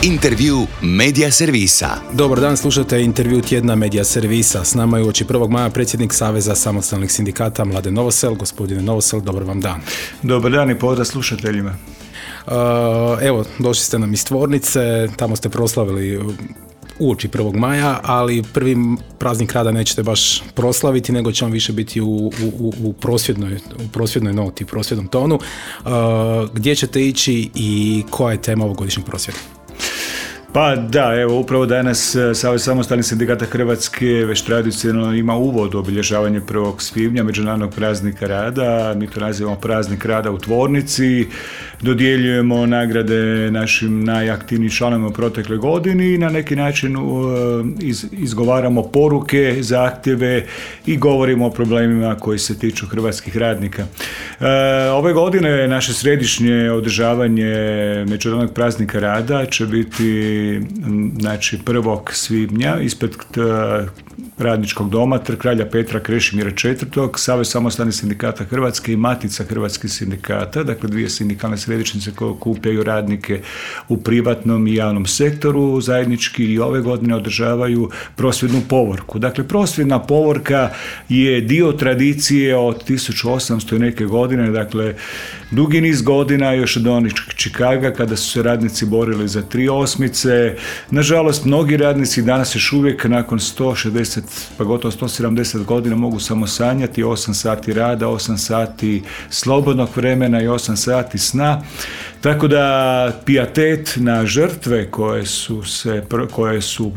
Intervju Medija servisa. Dobar dan, slušate intervju tjedna Medija servisa. S nama je uoči 1. maja predsjednik Saveza samostalnih sindikata Mladen Novosel. Gospodine Novosel, dobar vam dan. Dobar dan i pozdrav slušateljima. Evo, došli ste nam iz tvornice, tamo ste proslavili uoči 1. maja, ali prvi praznik rada nećete baš proslaviti, nego će vam više biti u prosvjednoj noti, u prosvjednom tonu. Gdje ćete ići i koja je tema ovogodišnjeg prosvjeda? Pa da, evo upravo danas Savez samostalnih sindikata Hrvatske već tradicionalno ima uvod u obilježavanje 1. svibnja, Međunarodnog praznika rada. Mi to nazivamo praznik rada u tvornici. Dodjeljujemo nagrade našim najaktivnijim članovima u protekloj godini i na neki način izgovaramo poruke, zahtjeve i govorimo o problemima koji se tiču hrvatskih radnika. Ove godine naše središnje održavanje Međunarodnog praznika rada će biti 1. svibnja ispred Radničkog doma Trg kralja Petra Krešimira IV, Savez samostalnih sindikata Hrvatske i Matica hrvatskih sindikata, dakle dvije sindikalne središnjice koje okupljaju radnike u privatnom i javnom sektoru, zajednički i ove godine održavaju prosvjednu povorku. Dakle, prosvjedna povorka je dio tradicije od 1800 i neke godine, dakle dugi niz godina, još od onih Čikaga kada su se radnici borili za 3 osmice. Nažalost, mnogi radnici danas još uvijek nakon 160 pa gotovo 170 godina mogu samo sanjati 8 sati rada, 8 sati slobodnog vremena i 8 sati sna. Tako da pijetet na žrtve koje su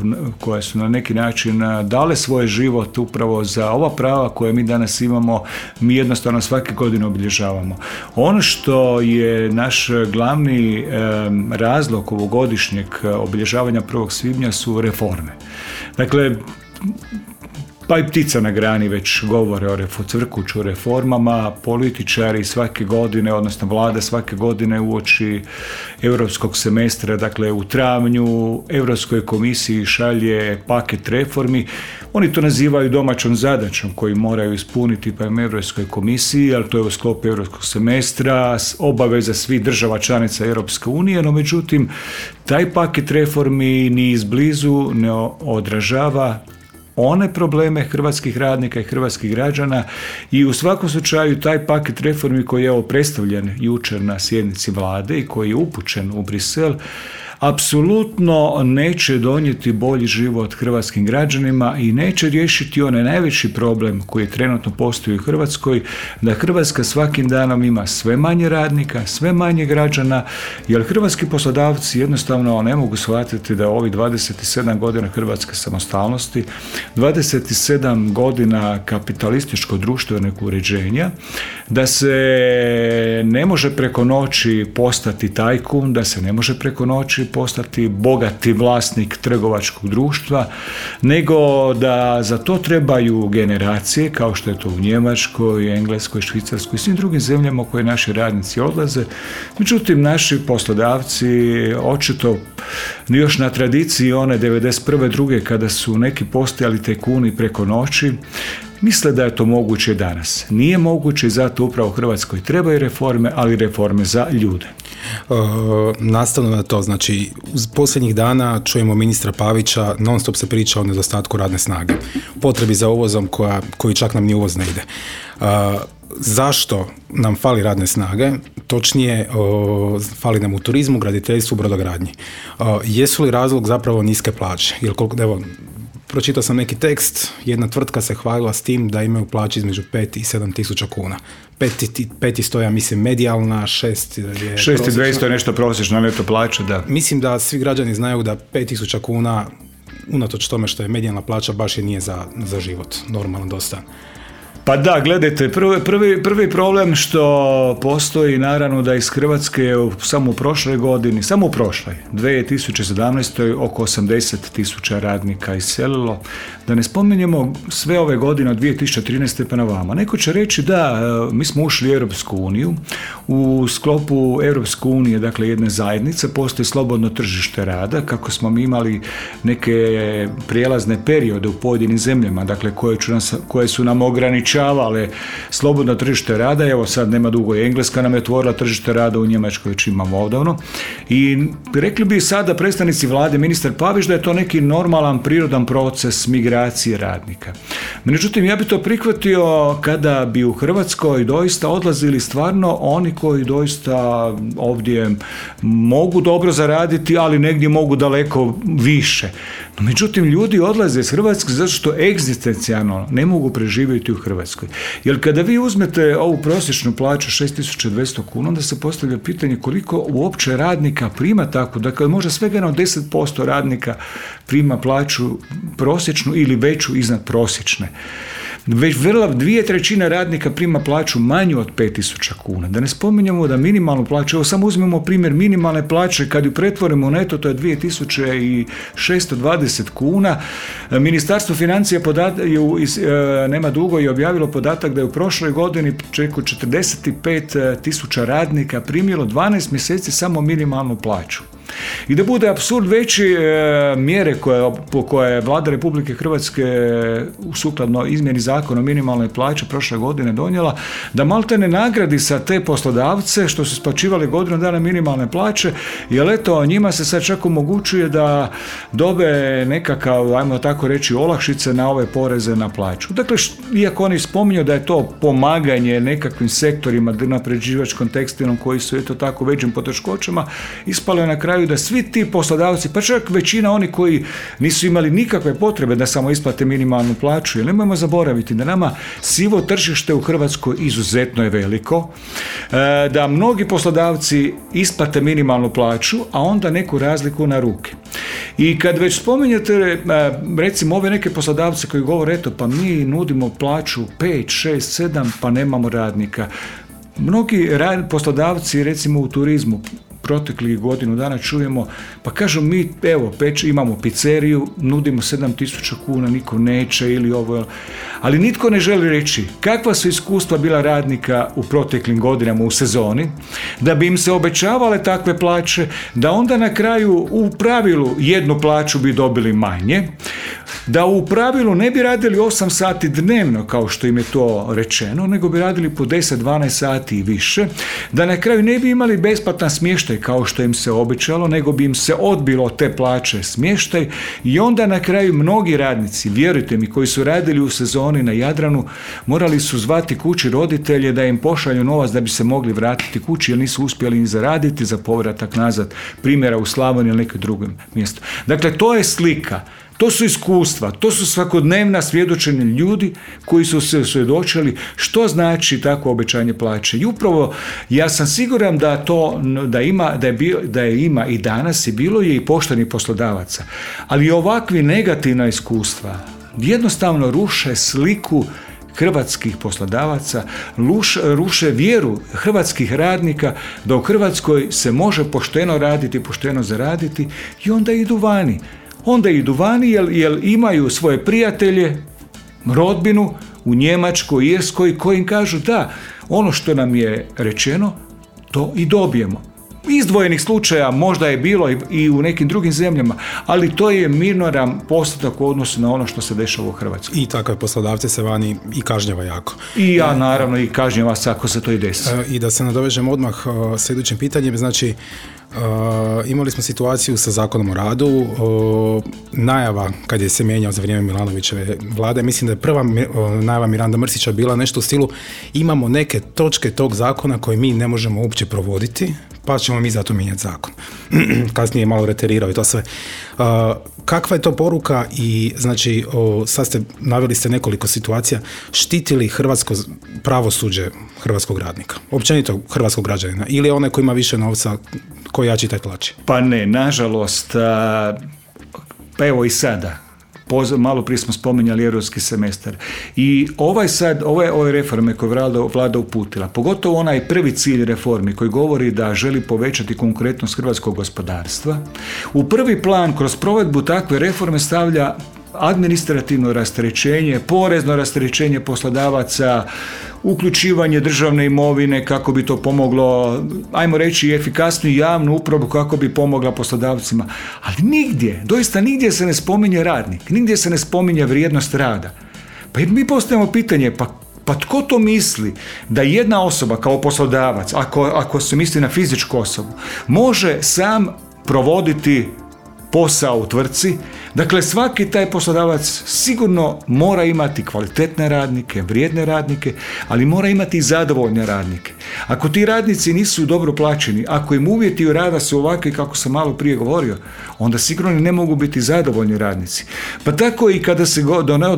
na neki način dale svoj život upravo za ova prava koje mi danas imamo, mi jednostavno svake godine obilježavamo. Ono što je naš glavni razlog ovogodišnjeg obilježavanja 1. svibnja su reforme. Dakle, pa i ptica na grani već govore o cvrkuću o reformama, političari svake godine, odnosno vlada svake godine uoči europskog semestra, dakle u travnju Europskoj komisiji šalje paket reformi. Oni to nazivaju domaćom zadaćom koju moraju ispuniti prema Europskoj komisiji, ali to je u sklopu europskog semestra, obaveza svih država članica Europske unije, no međutim taj paket reformi ni izblizu ne odražava one probleme hrvatskih radnika i hrvatskih građana i u svakom slučaju taj paket reformi koji je predstavljen jučer na sjednici vlade i koji je upućen u Brisel apsolutno neće donijeti bolji život hrvatskim građanima i neće riješiti onaj najveći problem koji trenutno postoji u Hrvatskoj, da Hrvatska svakim danom ima sve manje radnika, sve manje građana, jer hrvatski poslodavci jednostavno ne mogu shvatiti da ovih 27 godina hrvatske samostalnosti, 27 godina kapitalističko društvenog uređenja, da se ne može preko noći postati tajkun, da se ne može preko noći postati bogati vlasnik trgovačkog društva, nego da za to trebaju generacije, kao što je to u Njemačkoj, Engleskoj, Švicarskoj i svim drugim zemljama u koje naši radnici odlaze. Međutim, naši poslodavci očito još na tradiciji one 91. druge kada su neki postajali tajkuni preko noći, misle da je to moguće danas. Nije moguće i zato upravo u Hrvatskoj trebaju reforme, ali reforme za ljude. Nastavno na to, znači, uz posljednjih dana čujemo ministra Pavića, non stop se priča o nedostatku radne snage, potrebi za uvozom koji čak nam ni uvoz ne ide. Zašto nam fali radne snage? Točnije, fali nam u turizmu, graditeljstvu, brodogradnji. Jesu li razlog zapravo niske plaće? Evo, pročitao sam neki tekst, jedna tvrtka se hvalila s tim da imaju plaće između 5 i 7 tisuća kuna. 5 ja mislim medijalna, 6 je 6.200 je nešto prosječna neto plaća, da. Mislim da svi građani znaju da 5 tisuća kuna, unatoč tome što je medijalna plaća, baš je nije za život, normalno dosta. Pa da, gledajte, prvi problem što postoji naravno da iz Hrvatske samo u prošloj 2017. oko 80.000 radnika iselilo. Da ne spominjemo sve ove godine od 2013. pa na vama. Neko će reći da mi smo ušli u Europsku uniju, u sklopu Europske unije, dakle jedne zajednice, postoji slobodno tržište rada, kako smo mi imali neke prijelazne periode u pojedinim zemljama, dakle koje su nam ograničavali omogućavale slobodno tržište rada. Evo sad nema dugo, Engleska nam je otvorila tržište rada, u Njemačkoj već imamo odavno. I rekli bi sada predstavnici vlade, ministar Pavić, da je to neki normalan, prirodan proces migracije radnika. Međutim, ja bi to prihvatio kada bi u Hrvatskoj doista odlazili stvarno oni koji doista ovdje mogu dobro zaraditi, ali negdje mogu daleko više. No, međutim, ljudi odlaze iz Hrvatske zato što egzistencijalno ne mogu preživjeti u Hrvatskoj. Jer kada vi uzmete ovu prosječnu plaću 6.200 kuna, onda se postavlja pitanje koliko uopće radnika prima tako. Dakle, možda svega 10% radnika prima plaću prosječnu ili veću iznad prosječne. Već 2/3 radnika prima plaću manju od 5.000 kuna. Da ne spominjemo da minimalnu plaću, evo samo uzmemo primjer minimalne plaće, kad ju pretvorimo u neto, to je 2.620 kuna. Ministarstvo financija nema dugo je objavilo podatak da je u prošloj godini preko 45.000 radnika primilo 12 mjeseci samo minimalnu plaću. I da bude apsurd veći, mjere koje je Vlada Republike Hrvatske sukladno izmjeni zakona o minimalnoj plaći prošle godine donijela, da maltene nagradi sa te poslodavce što su isplaćivali godinu dana minimalne plaće, jer eto njima se sad čak omogućuje da dobe nekakav, ajmo tako reći, olakšice na ove poreze na plaću. Dakle, iako oni spominju da je to pomaganje nekakvim sektorima, napređivačkom, tekstilnom, koji su eto tako većim poteškoćama, ispale na kraju da svi ti poslodavci, pa čak većina oni koji nisu imali nikakve potrebe da samo isplate minimalnu plaću, jer nemojmo zaboraviti da nama sivo tržište u Hrvatskoj izuzetno je veliko, da mnogi poslodavci isplate minimalnu plaću, a onda neku razliku na ruke. I kad već spominjete recimo ove neke poslodavce koji govore eto pa mi nudimo plaću 5, 6, 7 pa nemamo radnika. Mnogi poslodavci recimo u turizmu proteklih godinu dana čujemo, pa kažu mi, evo, imamo pizzeriju, nudimo 7.000 kuna, niko neće ili ovo, ali nitko ne želi reći kakva su iskustva bila radnika u proteklim godinama u sezoni, da bi im se obećavale takve plaće, da onda na kraju u pravilu jednu plaću bi dobili manje, da u pravilu ne bi radili 8 sati dnevno kao što im je to rečeno, nego bi radili po 10-12 sati i više, da na kraju ne bi imali besplatan smještaj kao što im se obećalo, nego bi im se odbilo te plaće smještaj i onda na kraju mnogi radnici, vjerujte mi, koji su radili u sezoni na Jadranu, morali su zvati kući roditelje da im pošalju novac da bi se mogli vratiti kući jer nisu uspjeli ni zaraditi za povratak nazad, primjera u Slavoniji ili nekom drugom mjestu. Dakle, to je slika. To su iskustva, to su svakodnevna svjedočenja ljudi koji su se svjedočili što znači takvo obećanje plaće. I upravo ja sam siguran da ima i danas i bilo je i poštenih poslodavaca. Ali ovakvi negativna iskustva jednostavno ruše sliku hrvatskih poslodavaca, ruše vjeru hrvatskih radnika da u Hrvatskoj se može pošteno raditi, pošteno zaraditi i onda idu vani. Onda idu vani jer imaju svoje prijatelje, rodbinu u Njemačkoj, Irskoj koji im kažu da, ono što nam je rečeno, to i dobijemo. Izdvojenih slučaja možda je bilo i u nekim drugim zemljama, ali to je minoran postotak u odnosu na ono što se dešava u Hrvatskoj. I takve poslodavce se vani i kažnjava jako. I ja naravno i kažnjava se ako se to i desi. I da se nadovežem odmah s idućim pitanjem, znači imali smo situaciju sa Zakonom o radu, najava kad je se mijenjao za vrijeme Milanovićeve vlade, mislim da je prva najava Miranda Mrsića bila nešto u stilu imamo neke točke tog zakona koje mi ne možemo uopće provoditi, pa ćemo mi zato mijenjati zakon. Kasnije je malo reterirao i to sve. Kakva je to poruka i znači sad naveli ste nekoliko situacija, štiti li hrvatsko pravosuđe hrvatskog radnika, općenito hrvatskog građanina ili onaj koji ima više novca, koji jači taj tlači? Pa ne, nažalost, pa evo i sada. Malo prije smo spominjali europski semestar. I ove reforme koje vlada uputila, pogotovo onaj prvi cilj reformi koji govori da želi povećati konkurentnost hrvatskog gospodarstva, u prvi plan kroz provedbu takve reforme stavlja administrativno rasterećenje, porezno rasterećenje poslodavaca, uključivanje državne imovine kako bi to pomoglo, ajmo reći, efikasniju javnu upravu kako bi pomogla poslodavcima. Ali doista nigdje se ne spominje radnik, nigdje se ne spominje vrijednost rada. Pa mi postavljamo pitanje, pa Pa tko to misli da jedna osoba kao poslodavac, ako se misli na fizičku osobu, može sam provoditi posao u tvrtci? Dakle, svaki taj poslodavac sigurno mora imati kvalitetne radnike, vrijedne radnike, ali mora imati i zadovoljne radnike. Ako ti radnici nisu dobro plaćeni, ako im uvjeti rada su ovakvi kako sam malo prije govorio, onda sigurno ne mogu biti zadovoljni radnici. Pa tako i kada se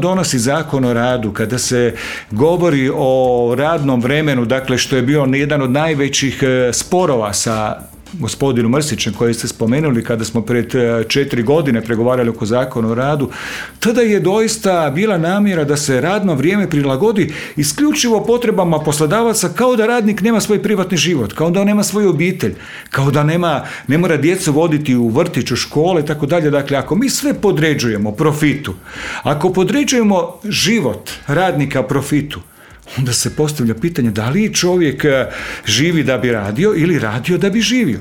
donosi zakon o radu, kada se govori o radnom vremenu, dakle što je bio jedan od najvećih sporova sa gospodinu Mrsićem koji ste spomenuli kada smo pred 4 godine pregovarali oko zakona o radu, tada je doista bila namjera da se radno vrijeme prilagodi isključivo potrebama poslodavaca, kao da radnik nema svoj privatni život, kao da nema svoju obitelj, kao da ne mora djecu voditi u vrtić, u škole i tako dalje. Dakle, ako mi sve podređujemo profitu, ako podređujemo život radnika profitu, onda se postavlja pitanje da li čovjek živi da bi radio ili radio da bi živio.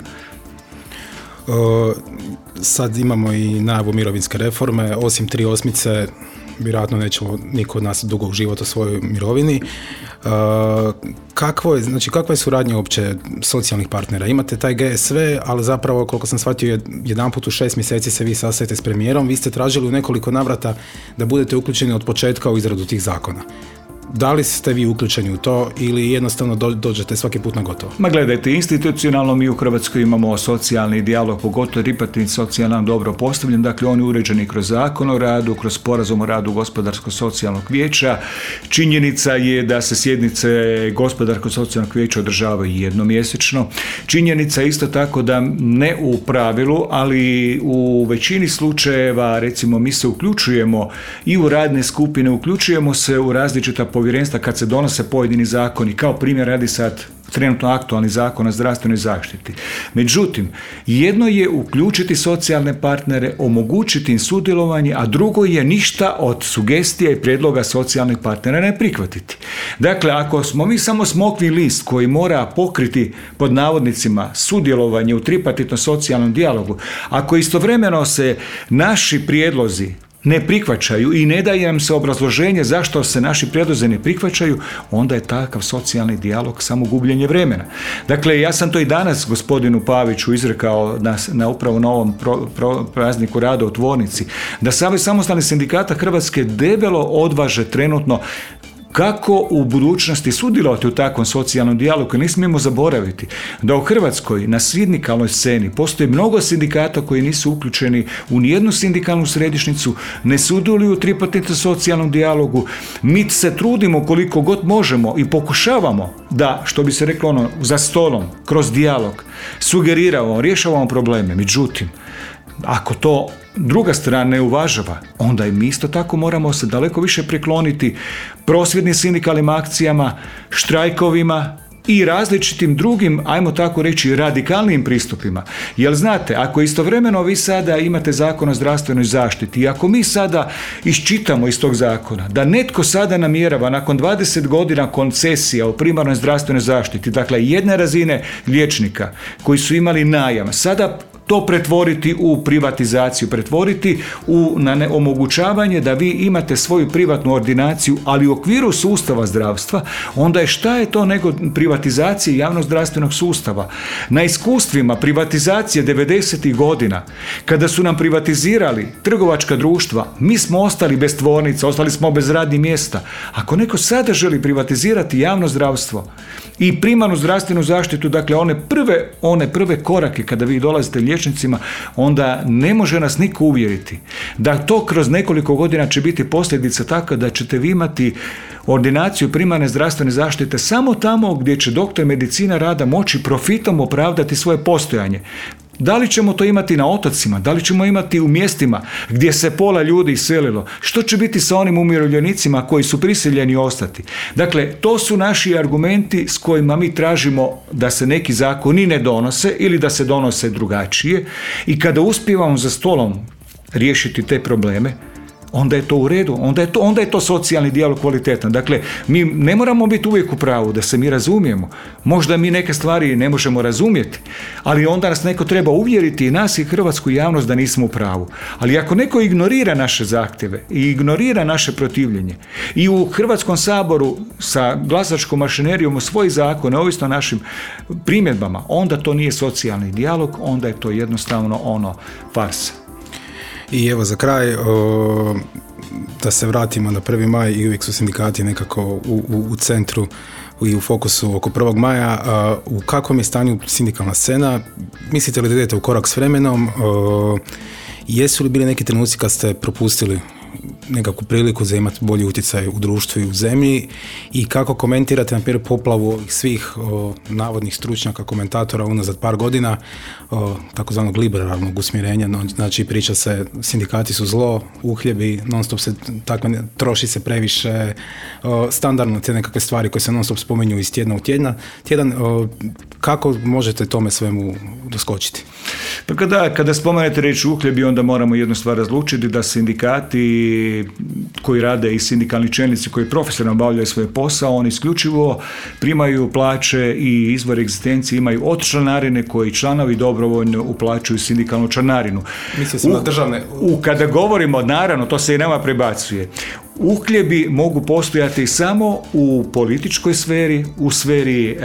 Sad imamo i najavu mirovinske reforme, osim 3 osmice, vjerojatno nećemo niko od nas dugo uživati u svojoj mirovini. Kakva je suradnja uopće socijalnih partnera? Imate taj GSV, ali zapravo, koliko sam shvatio, jedanput u 6 mjeseci se vi sastajete s premijerom. Vi ste tražili u nekoliko navrata da budete uključeni od početka u izradu tih zakona. Da li ste vi uključeni u to ili jednostavno dođete svaki put na gotovo? Ma gledajte, institucionalno mi u Hrvatskoj imamo socijalni dijalog, pogotovo tripartitni socijalno dobro postavljen, dakle on je uređen kroz zakon o radu, kroz sporazum o radu Gospodarsko-socijalnog vijeća. Činjenica je da se sjednice Gospodarsko-socijalnog vijeća održavaju jednomjesečno. Činjenica je isto tako da ne u pravilu, ali u većini slučajeva, recimo, mi se uključujemo i u radne skupine, uključujemo se u različita povjerenstva kad se donose pojedini zakoni, kao primjer radi sad trenutno aktualni zakon o zdravstvenoj zaštiti. Međutim, jedno je uključiti socijalne partnere, omogućiti im sudjelovanje, a drugo je ništa od sugestija i prijedloga socijalnih partnera ne prihvatiti. Dakle, ako smo mi samo smokvi list koji mora pokriti, pod navodnicima, sudjelovanje u tripartitnom socijalnom dijalogu, ako istovremeno se naši prijedlozi ne prihvaćaju i ne daje nam se obrazloženje zašto se naši prijedlozi ne prihvaćaju, onda je takav socijalni dijalog samo gubljenje vremena. Dakle, ja sam to i danas gospodinu Paviću izrekao upravo na ovom prazniku rada u tvornici, da Savez samostalnih sindikata Hrvatske debelo odvaže trenutno kako u budućnosti sudjelovati u takvom socijalnom dijalogu. Ne smijemo zaboraviti da u Hrvatskoj na sindikalnoj sceni postoji mnogo sindikata koji nisu uključeni u nijednu sindikalnu središnjicu, ne sudjeluju u tripartitnom socijalnom dijalogu. Mi se trudimo koliko god možemo i pokušavamo da, što bi se reklo za stolom, kroz dijalog, sugeriramo, rješavamo probleme. Međutim, ako to druga strana ne uvažava, onda i mi isto tako moramo se daleko više prikloniti prosvjednim sindikalnim akcijama, štrajkovima i različitim drugim, ajmo tako reći, radikalnim pristupima. Jer znate, ako istovremeno vi sada imate zakon o zdravstvenoj zaštiti i ako mi sada iščitamo iz tog zakona da netko sada namjerava nakon 20 godina koncesija u primarnoj zdravstvenoj zaštiti, dakle jedne razine liječnika koji su imali najam, sada to pretvoriti u privatizaciju, pretvoriti u omogućavanje da vi imate svoju privatnu ordinaciju, ali u okviru sustava zdravstva, onda je šta je to nego privatizacija javnog zdravstvenog sustava. Na iskustvima privatizacije 90. godina, kada su nam privatizirali trgovačka društva, mi smo ostali bez tvornica, ostali smo bez radnih mjesta. Ako neko sada želi privatizirati javno zdravstvo i primarnu zdravstvenu zaštitu, dakle one prve korake kada vi dolazite liječnicima, onda ne može nas niko uvjeriti da to kroz nekoliko godina će biti posljedica takva da ćete vi imati ordinaciju primarne zdravstvene zaštite samo tamo gdje će doktor medicina rada moći profitom opravdati svoje postojanje. Da li ćemo to imati na otocima? Da li ćemo imati u mjestima gdje se pola ljudi iselilo? Što će biti sa onim umirovljenicima koji su prisiljeni ostati? Dakle, to su naši argumenti s kojima mi tražimo da se neki zakoni ne donose ili da se donose drugačije, i kada uspijevamo za stolom riješiti te probleme, onda je to u redu, onda je to socijalni dijalog kvalitetan. Dakle, mi ne moramo biti uvijek u pravu, da se mi razumijemo. Možda mi neke stvari ne možemo razumjeti, ali onda nas neko treba uvjeriti, i nas i hrvatsku javnost, da nismo u pravu. Ali ako neko ignorira naše zahtjeve i ignorira naše protivljenje i u Hrvatskom saboru sa glasačkom mašinerijom svoj zakon, neovisno o našim primjedbama, onda to nije socijalni dijalog, onda je to jednostavno farsa. I evo za kraj, da se vratimo na 1. maj, i uvijek su sindikati nekako u centru i u fokusu oko 1. maja. U kakvom je stanju sindikalna scena? Mislite li da idete u korak s vremenom? Jesu li bili neki trenuci kad ste propustili nekakvu priliku za imati bolji utjecaj u društvu i u zemlji, i kako komentirate na primjer poplavu svih navodnih stručnjaka, komentatora unazad par godina, takozvanog liberalnog usmjerenja, znači priča se sindikati su zlo, uhljebi, non stop se troši se previše, standardno te nekakve stvari koje se non stop spominju iz tjedna u tjedan, kako možete tome svemu doskočiti? Pa kada spomenete riječ uhljebi, onda moramo jednu stvar razlučiti, da sindikati koji rade i sindikalni čelnici koji profesionalno obavljaju svoj posao, oni isključivo primaju plaće i izvor egzistencije imaju od članarine koji članovi dobrovoljno uplaćuju sindikalnu članarinu. Mislio sam na državne... Kada govorimo, naravno, to se i nama prebacuje. Uhljebi mogu postojati samo u političkoj sferi, u sferi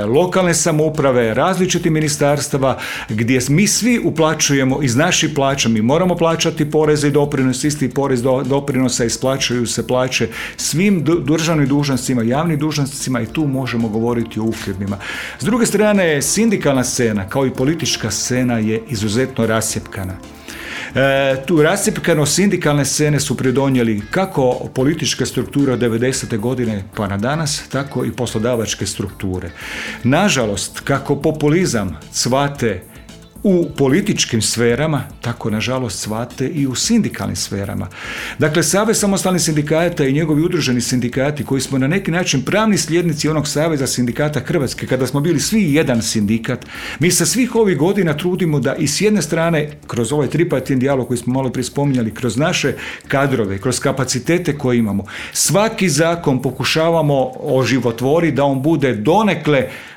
lokalne samouprave, različitih ministarstava, gdje mi svi uplaćujemo iz naših plaća, mi moramo plaćati poreze i doprinose, isti porez doprinosa, isplaćuju se plaće svim državnim dužnosnicima, javnim dužnosnicima, i tu možemo govoriti o uhljebima. S druge strane, sindikalna scena kao i politička scena je izuzetno rascjepkana. Tu rascjepkanost sindikalne scene su pridonijeli kako političke strukture od 90. godine pa na danas, tako i poslodavačke strukture. Nažalost, kako populizam cvate u političkim sferama, tako nažalost cvate i u sindikalnim sferama. Dakle, Savez samostalnih sindikata i njegovi udruženi sindikati, koji smo na neki način pravni sljednici onog Saveza sindikata Hrvatske, kada smo bili svi jedan sindikat, mi se svih ovih godina trudimo da i s jedne strane, kroz ovaj tripartitni dijalog koji smo malo prije spominjali, kroz naše kadrove, kroz kapacitete koje imamo, svaki zakon pokušavamo oživotvoriti da on bude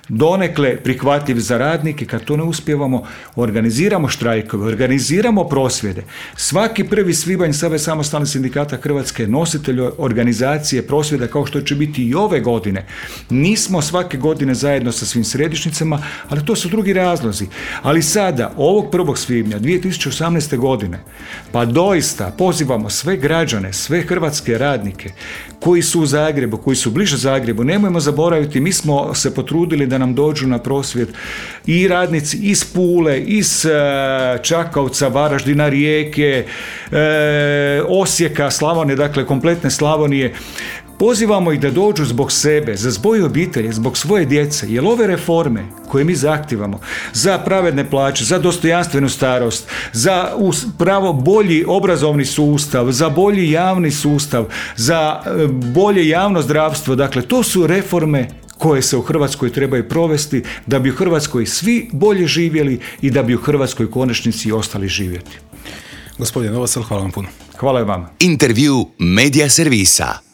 donekle prihvatljiv za radnike. Kad to ne uspijevamo, organiziramo štrajkove, organiziramo prosvjede. Svaki 1. svibanj Savez samostalnih sindikata Hrvatske je nositelj organizacije prosvjeda, kao što će biti i ove godine. Nismo svake godine zajedno sa svim središnjicama, ali to su drugi razlozi. Ali sada, ovog 1. svibnja 2018. godine, pa doista pozivamo sve građane, sve hrvatske radnike koji su u Zagrebu, koji su bliže Zagrebu, nemojmo zaboraviti, mi smo se potrudili da nam dođu na prosvjed i radnici iz Pule, iz Čakovca, Varaždina, Rijeke, Osijeka, Slavonije, dakle kompletne Slavonije. Pozivamo ih da dođu zbog sebe, za svoje obitelji, zbog svoje djece, jer ove reforme koje mi zahtijevamo za pravedne plaće, za dostojanstvenu starost, za pravo bolji obrazovni sustav, za bolji javni sustav, za bolje javno zdravstvo, dakle to su reforme koje se u Hrvatskoj trebaju provesti da bi u Hrvatskoj svi bolje živjeli i da bi u Hrvatskoj konačnici ostali živjeti. Gospodin Novosel, hvala vam puno. Hvala i vama. Intervju Media Servisa.